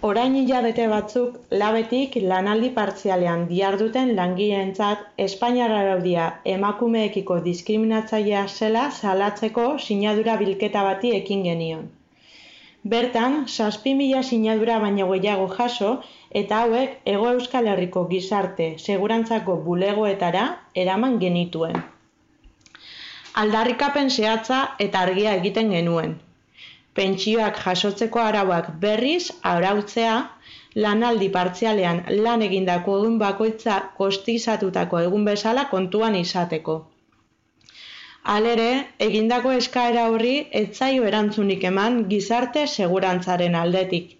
Orain hilabete batzuk labetik lanaldi partzialean diharduten langileentzat Espainiar araudia emakumeekiko diskriminatzailea zela salatzeko sinadura bilketa bati ekin genion. Bertan, 7.000 sinadura baino gehiago jaso eta hauek Hego Euskal Herriko gizarte segurantzako bulegoetara eraman genituen. Aldarrikapen zehatza eta argia egiten genuen. Pentsioak jasotzeko arauak berriz arautzea, lanaldi partzialean lan egindako egun bakoitza kostizatutako egun bezala kontuan izateko. Halere, egindako eskaera horri ez zaio erantzunik eman gizarte segurantzaren aldetik.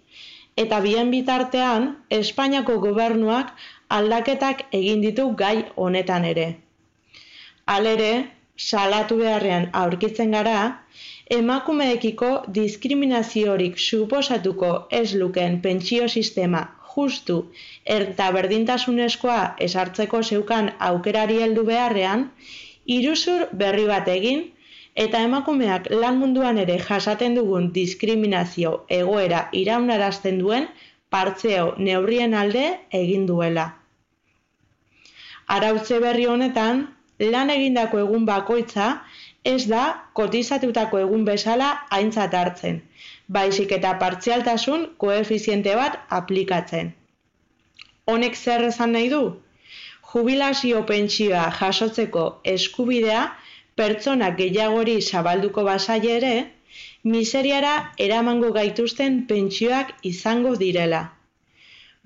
Eta bien bitartean, Espainiako gobernuak aldaketak egin ditu gai honetan ere. Halere, salatu beharrean aurkitzen gara, emakumeekiko diskriminaziorik suposatuko ez lukeen pentsio sistema justu eta berdintasunezkoa ezartzeko zeukan aukerari heldu beharrean, iruzur berri bat egin eta emakumeak lan munduan ere jasaten dugun diskriminazio egoera iraunarazten duen partzeo neurrien alde egin duela. Arautze berri honetan, lan egindako egun bakoitza ez da kotizatutako egun bezala aintzat hartzen, baizik eta partzialtasun koefiziente bat aplikatzen. Honek zer esan nahi du? Jubilazio pentsioa jasotzeko eskubidea pertsona gehiagori zabalduko bazaie ere, miseriara eramango gaituzten pentsioak izango direla.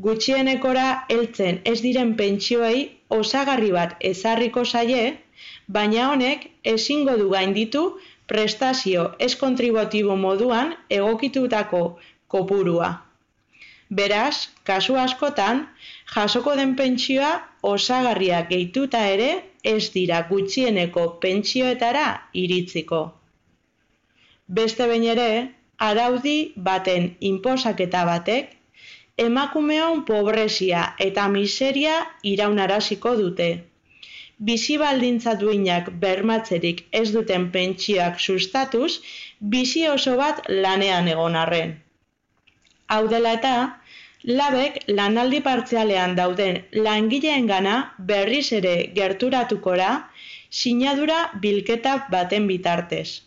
Gutxienekora heltzen ez diren pentsioei osagarri bat ezarriko zaie, baina honek ezingo du gainditu prestazio ez kontributibo moduan egokitutako kopurua. Beraz, kasu askotan, jasoko den pentsioa osagarria gehituta ere ez dira gutxieneko pentsioetara iritsiko. Beste behin ere, araudi baten inposaketa batek, emakumeon pobrezia eta miseria iraunaraziko dute. Bizi baldintza duinak bermatzerik ez duten pentsioak sustatuz, bizi oso bat lanean egon arren. Hau dela eta, labek lanaldi partzialean dauden langileengana berriz ere gerturatukora sinadura bilketa baten bitartez.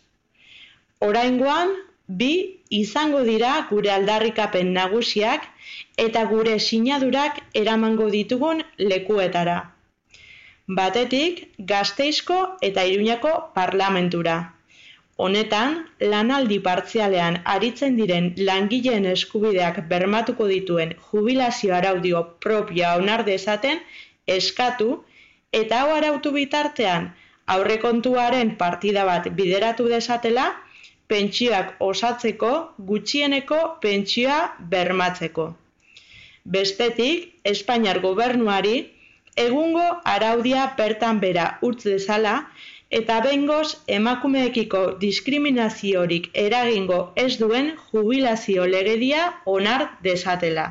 Oraingoan, 2 izango dira gure aldarrikapen nagusiak eta gure sinadurak eramango ditugun lekuetara. Batetik, Gasteizko eta Iruñako parlamentura. Honetan, lanaldi partzialean aritzen diren langileen eskubideak bermatuko dituen jubilazio araudio propioa onar dezaten eskatu eta hau arautu bitartean aurrekontuaren partida bat bideratu dezatela pentsioak osatzeko gutxieneko pentsioa bermatzeko. Bestetik, Espainiar gobernuari egungo araudia bertan bera utz dezala eta behingoz emakumeekiko diskriminaziorik eragingo ez duen jubilazio legedia onar dezatela.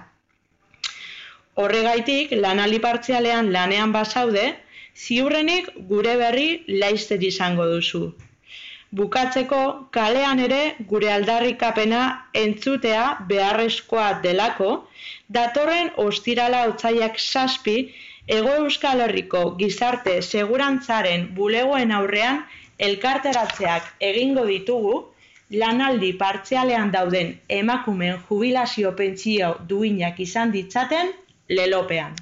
Horregaitik, lanaldi partzialean lanean bazaude, ziurrenik gure berri laizter izango duzu. Bukatzeko, kalean ere gure aldarrikapena entzutea beharrezkoa delako, datorren ostirala otsailak 7 Hego Euskal Herriko gizarte segurantzaren bulegoen aurrean elkarteratzeak egingo ditugu, lanaldi partzialean dauden emakumeen jubilazio pentsio duinak izan ditzaten lelopean.